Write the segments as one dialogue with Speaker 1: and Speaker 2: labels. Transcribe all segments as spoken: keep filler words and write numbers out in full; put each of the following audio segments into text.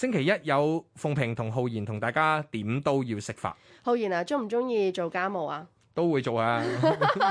Speaker 1: 星期一有鳳萍同浩然同大家點都要識法。
Speaker 2: 浩然啊，中唔中意做家務啊？
Speaker 1: 都會做啊，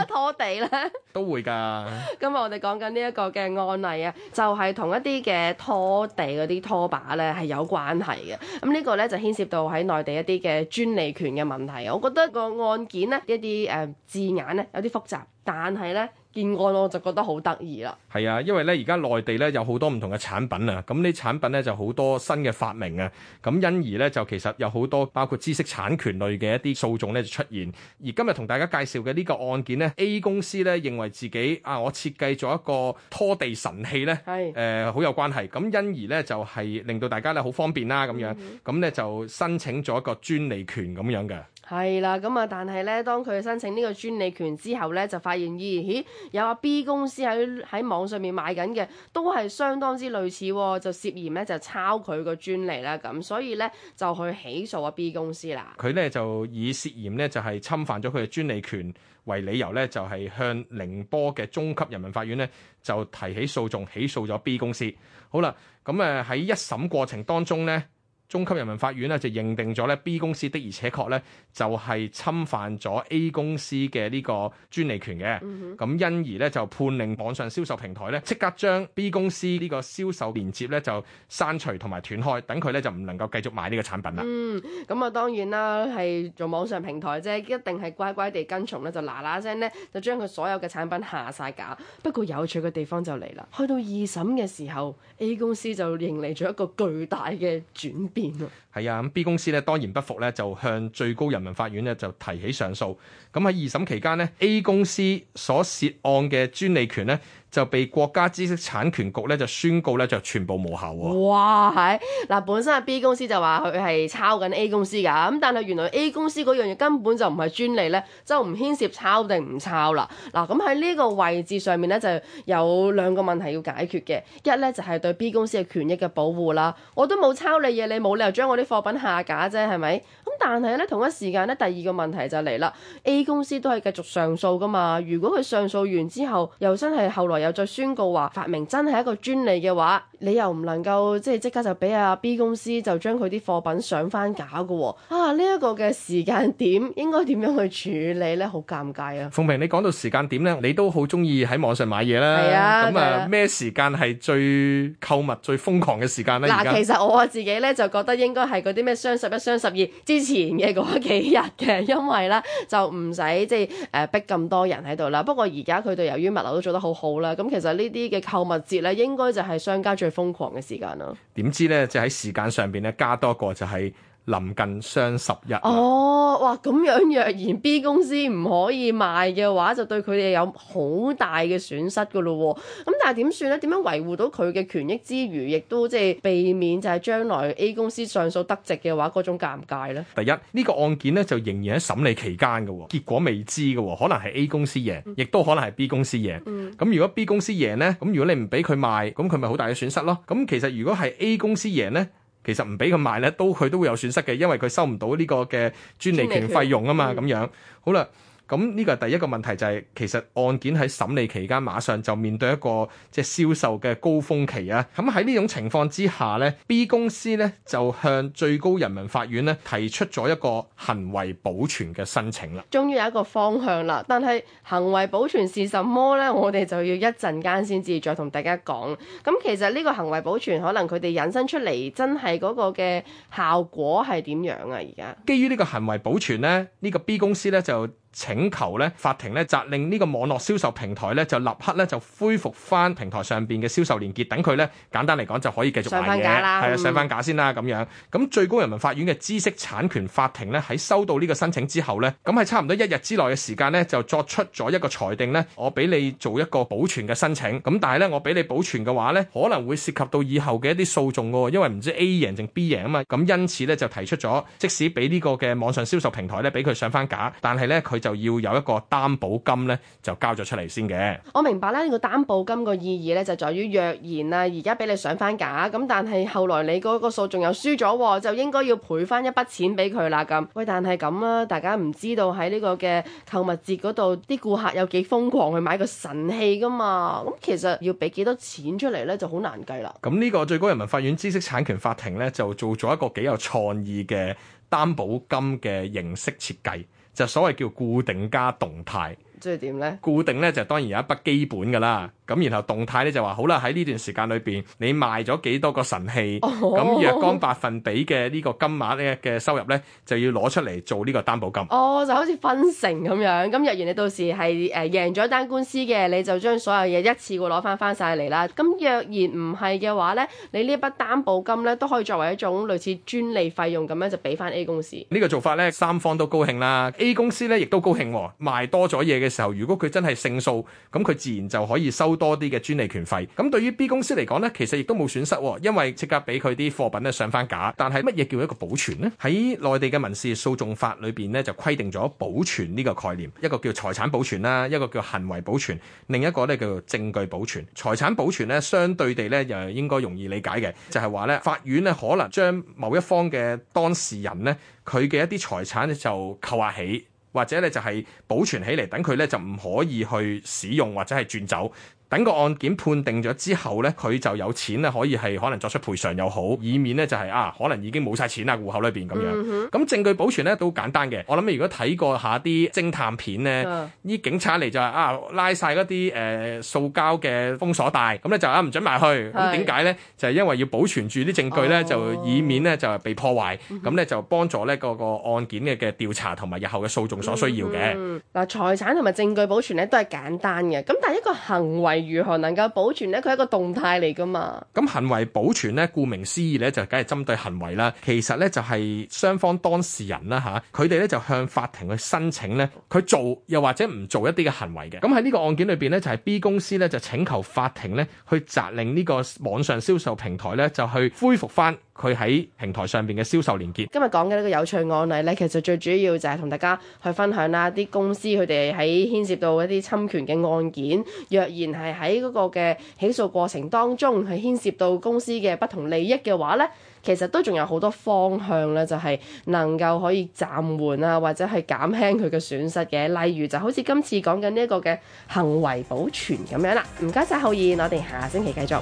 Speaker 2: 拖地咧
Speaker 1: 都會㗎。
Speaker 2: 今日我哋講緊呢一個嘅案例啊，就係同一啲嘅拖地嗰啲拖把咧係有關係嘅。咁呢個咧就牽涉到喺內地一啲嘅專利權嘅問題。我覺得個案件咧一啲誒、呃、字眼咧有啲複雜，但係咧件案我就覺得好得意啦。
Speaker 1: 係啊，因為咧而家內地咧有好多唔同嘅產品啊，咁呢產品咧就好多新嘅發明啊，咁因而咧就其實有好多包括知識產權類嘅一啲訴訟咧就出現。而今日同大家介紹嘅呢個案件咧 ，A 公司咧認為自己啊，我設計咗一個拖地神器咧，係誒好有關係，咁因而咧就係、是、令到大家咧好方便啦咁樣，咁咧、嗯、就申請咗一個專利權咁樣嘅。
Speaker 2: 係啦，咁啊，但係咧，當佢申請呢個專利權之後咧，就發現咦咦，有阿 B 公司喺喺網上面賣緊嘅，都係相當之類似，就涉嫌咧就抄佢個專利啦，咁所以咧就去起訴阿 B 公司啦。
Speaker 1: 佢咧就以涉嫌咧就係侵犯咗佢嘅專利權為理由咧，就係向寧波嘅中級人民法院咧就提起訴訟，起訴咗 B 公司。好啦，咁誒喺一審過程當中咧，中級人民法院咧就認定咗咧 B 公司的而且確咧就係侵犯咗 A 公司嘅呢個專利權嘅，咁、嗯、哼因而咧就判令網上銷售平台咧即刻將 B 公司呢個銷售連接咧就刪除同埋斷開，等佢咧就唔能夠繼續賣呢個產品啦。
Speaker 2: 嗯，咁啊當然啦，係做網上平台啫，一定係乖乖地跟從咧，就嗱嗱聲咧就將佢所有嘅產品下晒架。不過有趣嘅地方就嚟啦，去到二審嘅時候 ，A 公司就迎嚟咗一個巨大嘅轉變。
Speaker 1: 係啊，咁 B 公司咧當然不服咧，就向最高人民法院咧就提起上訴。咁喺二審期間呢 A 公司所涉案嘅專利權咧就被國家知識產權局咧就宣告咧就全部無效喎。
Speaker 2: 哇，係嗱，本身係 B 公司就話佢係抄緊 A 公司㗎，咁但係原來 A 公司嗰樣嘢根本就唔係專利咧，就唔牽涉抄定唔抄啦。嗱，咁喺呢個位置上面咧就有兩個問題要解決嘅，一咧就係對 B 公司嘅權益嘅保護啦。我都冇抄你嘢，你冇理由將我啲貨品下架啫，係咪？咁但係咧同一時間咧，第二個問題就嚟啦 ，A 公司都係繼續上訴㗎嘛。如果佢上訴完之後，又真係後來又再宣告話發明真係一個專利嘅話，你又唔能夠即係即刻就俾阿 B 公司就將佢啲貨品上翻架㗎喎。啊，呢、這、一個嘅時間點應該點樣去處理咧？好尷尬啊！
Speaker 1: 鳳萍，你講到時間點咧，你都好中意喺網上買嘢啦。
Speaker 2: 係啊，
Speaker 1: 咁啊咩時間係最購物最瘋狂嘅時間咧？
Speaker 2: 嗱，其實我自己咧就覺得應該係嗰啲咩雙十一、雙十二之前嘅嗰幾日嘅，因為咧就唔使即係誒逼咁多人喺度啦。不過而家佢哋由於物流都做得好好啦，咁其實呢啲嘅購物節咧應該就係商家最瘋狂嘅時間啦。
Speaker 1: 點知咧，就喺時間上邊咧加多個就係臨近雙十一。
Speaker 2: 哦，哇！咁樣若然 B 公司唔可以賣嘅話，就對佢哋有好大嘅損失噶咯喎。咁但係點算咧？點樣維護到佢嘅權益之餘，亦都即係避免就係將來 A 公司上訴得直嘅話嗰種尷尬咧？
Speaker 1: 第一，呢、呢個案件咧就仍然喺審理期間嘅喎，結果未知嘅喎，可能係 A 公司贏，亦都、嗯、可能係 B 公司贏。咁、嗯、如果 B 公司贏咧，咁如果你唔俾佢賣，咁佢咪好大嘅損失咯？咁其實如果係 A 公司贏咧，其實唔俾佢賣咧，都佢都會有損失嘅，因為佢收唔到呢個嘅專利權費用啊嘛，咁樣好啦。咁呢個係第一個問題，就係、是、其實案件喺審理期間馬上就面對一個即係銷售嘅高峰期啊！咁喺呢種情況之下呢 B 公司呢就向最高人民法院呢提出咗一個行為保全嘅申請啦。
Speaker 2: 終於有一個方向啦，但係行為保全是什麼呢？我哋就要一陣間先至再同大家講。咁其實呢個行為保全可能佢哋引申出嚟真係嗰個嘅效果係點樣啊？而家
Speaker 1: 基於呢個行為保全呢，呢、呢個 B 公司呢就請求咧，法庭咧責令呢個網絡銷售平台咧就立刻咧就恢復翻平台上邊嘅銷售連結，等佢咧簡單嚟講就可以繼續賣嘢，係啊上翻架先啦咁樣。咁最高人民法院嘅知識產權法庭咧喺收到呢個申請之後咧，咁喺差唔多一日之內嘅時間咧就作出咗一個裁定咧，我俾你做一個保存嘅申請。咁但係咧我俾你保存嘅話咧，可能會涉及到以後嘅一啲訴訟喎，因為唔知 A 贏定 B 贏啊嘛。咁因此咧就提出咗，即使俾呢個嘅網上銷售平台咧俾佢上翻架，但係咧佢就要有一個擔保金咧，就交咗出嚟先嘅。
Speaker 2: 我明白咧，呢個擔保金個意義咧就在於若然啊，而家俾你上翻架，咁但係後來你嗰個訴訟又輸咗，就應該要賠翻一筆錢俾佢啦咁。喂，但係咁啊，大家唔知道喺呢個嘅購物節嗰度，啲顧客有幾瘋狂去買個神器噶嘛？咁其實要俾幾多錢出嚟咧，就好難計啦。
Speaker 1: 咁呢個最高人民法院知識產權法庭咧，就做咗一個幾有創意嘅擔保金嘅形式設計，就所謂叫固定加動態。
Speaker 2: 即係點咧？
Speaker 1: 固定咧就當然有一筆基本㗎啦，咁然後動態咧就話好啦，喺呢段時間裏邊你賣咗幾多個神器，咁、哦、若干百分比嘅呢個金額咧嘅收入咧就要攞出嚟做呢個擔保金。
Speaker 2: 哦，就好似分成咁樣，咁若然你到時係誒贏咗單官司嘅，你就將所有嘢一次過攞翻翻晒嚟啦。咁若然唔係嘅話咧，你呢一筆擔保金咧都可以作為一種類似專利費用咁樣就俾翻 A 公司。
Speaker 1: 呢個做法咧三方都高興啦 ，A 公司咧亦都高興，賣多咗嘢嘅時候，如果佢真係勝訴，咁佢自然就可以收多啲嘅專利權費。咁對於 B 公司嚟講呢，其實亦都冇損失，因為即刻俾佢啲貨品咧上翻架。但係乜嘢叫一個保存呢？喺內地嘅民事訴訟法裏邊呢，就規定咗保存呢個概念，一個叫財產保存啦，一個叫行為保存，另一個咧叫做證據保存。財產保存咧，相對地咧又應該容易理解嘅，就係話咧法院咧可能將某一方嘅當事人咧佢嘅一啲財產咧就扣押起。或者咧就係保存起嚟，等佢咧就唔可以去使用或者係轉走。等個案件判定咗之後咧，佢就有錢咧可以係可能作出賠償又好，以免咧就係、是、啊可能已經冇晒錢啦戶口裏邊咁樣。咁、嗯、哼證據保存咧都簡單嘅。我諗如果睇過下啲偵探片咧，啲、嗯、警察嚟就係啊拉晒嗰啲誒塑膠嘅封鎖帶，咁咧就啊唔准埋去。咁點解咧？就係、是、因為要保存住啲證據咧，哦、就以免咧就係被破壞。咁咧、嗯、哼就幫助咧個個案件嘅嘅調查同埋日後嘅訴訟所需要嘅。嗱、
Speaker 2: 嗯，財產同埋證據保存咧都係簡單嘅。咁但係一個行為如何能夠保存咧？佢係一個動態嚟噶嘛。
Speaker 1: 咁行為保存咧，顧名思義咧，就梗係針對行為啦。其實咧就係雙方當事人啦嚇，佢哋咧就向法庭去申請咧，佢做又或者唔做一啲嘅行為嘅。咁喺呢個案件裏邊咧，就係 B 公司咧就請求法庭咧去責令呢個網上銷售平台咧就去恢復翻佢喺平台上邊嘅銷售連結。
Speaker 2: 今日講嘅呢個有趣案例咧，其實最主要就係同大家去分享啦，啲公司佢哋喺牽涉到一啲侵權嘅案件，若然係喺嗰個嘅起訴過程當中係牽涉到公司嘅不同利益嘅話咧，其實都仲有好多方向咧，就係能夠可以暫緩啊，或者係減輕佢嘅損失嘅。例如就好似今次講緊呢一個嘅行為保存咁樣啦。唔該晒浩然，我哋下星期繼續。